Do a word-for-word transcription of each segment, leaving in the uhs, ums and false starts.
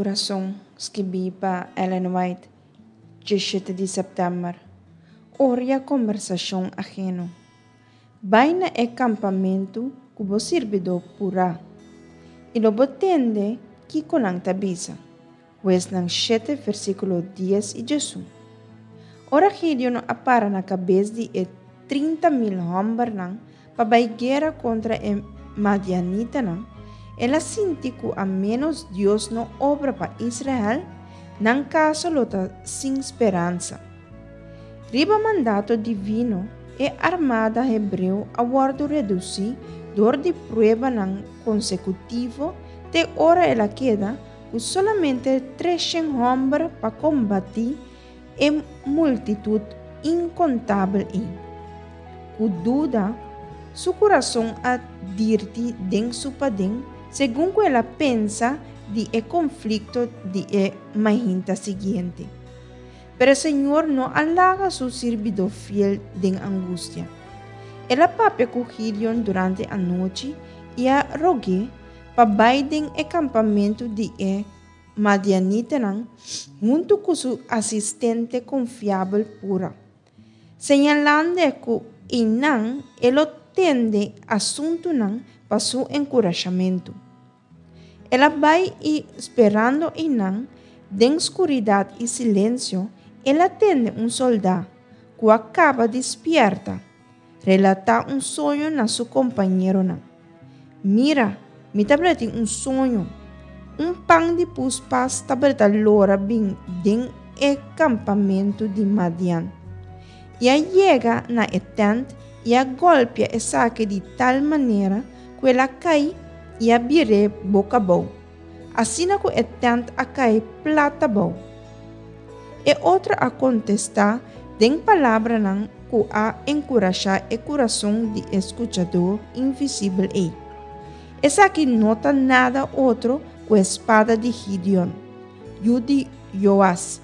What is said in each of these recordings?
Kurason, skibí pa Ellen White, diesshete di sèptèmber. Odia kombersashon aheno. Bai na e kampamentu ku bo sirbidó Purá, i lo bo tende kiko nan ta bisa. Huesnan shete, versíkulo dies i diesun. Ora Gideon a para na kabes di e trinta mil hòmbernan pa bai guera kontra e madianitanan, el a sinti ku a ménos Dios no obra pa Israel, nan kaso lo ta sin speransa. Riba mandato divino, e armada hebreo a wòrdu redusí dor di pruebanan konsekutivo te ora el a keda ku solamente tresshen hòmber pa kombatí e multitut inkontabel ei. Ku duda, su kurason a dirti den su paden segun ku el a pensa di e konflikto di e mainta siguiente. Pero Señor no a laga su sirbidó fiel den angustia. El a papia ku Gideon durante anochi i a rog'é pa bai den e kampamentu di e madianitanan huntu ku su asistente konfiabel Pura, señalando ku einan e lo tende asuntunan pa su enkurashamentu. El a bai i sperando einan, den skuridat i silensio, el a tende un sòldá ku a kaba di spièrta, relatá un soño na su kompañeronan. Mira, mi tabatin un soño. Un pan di puspas tabata lora bin den e kampamentu di Madian. I a yega na e tènt i a gòlpia esaki di tal manera ku el a kai i a bir'é boka abou. Asina ku e tènt a kai plat abou. E otro a kontestá den palabranan ku a enkurashá e kurason di e skuchadó invisibel ei. Esaki no ta nada otro ku e spada di Gideon, yu di Joas,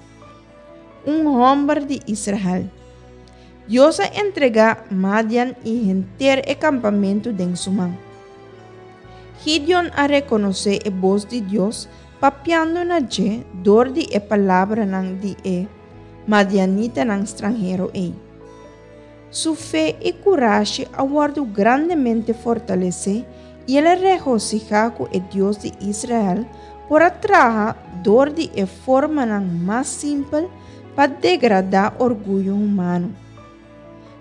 un hòmber di Israel. Dios a entregá Madian i henter e kampamentu den su man. Gideon a rekonosé e bos di Dios papiando na dje dor di e palabranan di e madianitanan stranhero ei. Su fe i kurashi a wòrdu grandemente fortalesé i el a regosihá ku e Dios di Israel por a traha dor di e formanan mas simpel pa degradá orguyo humano.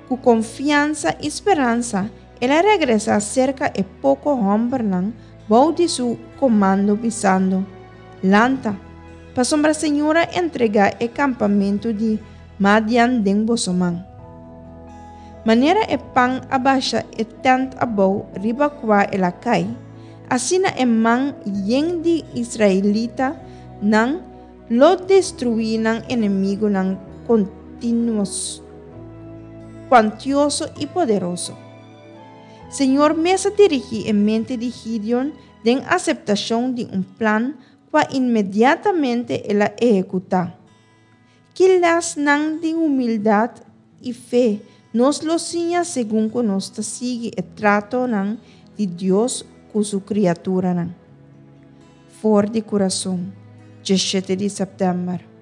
Ku konfiansa i speransa, el a regresá serka e poko hòmbernan bou di su komando bisando: Lanta, pasobra Señor a entregá e kampamentu di Madian den boso man. Manera e pan a basha e tènt abou riba kua el a kai, asina e man yen di israelitanan lo destruí nan enemigunan kontinuos, kuantioso i poderoso. Señor mes a dirigí e mente di Gideon den aseptashon di un plan kua inmediatamente el a ehekutá. Ki lèsnan di humildat i fe nos lo siña segun ku nos ta sigui e tratonan di Dios ku su kriaturanan? For di Kurason, diesshete di sèptèmber.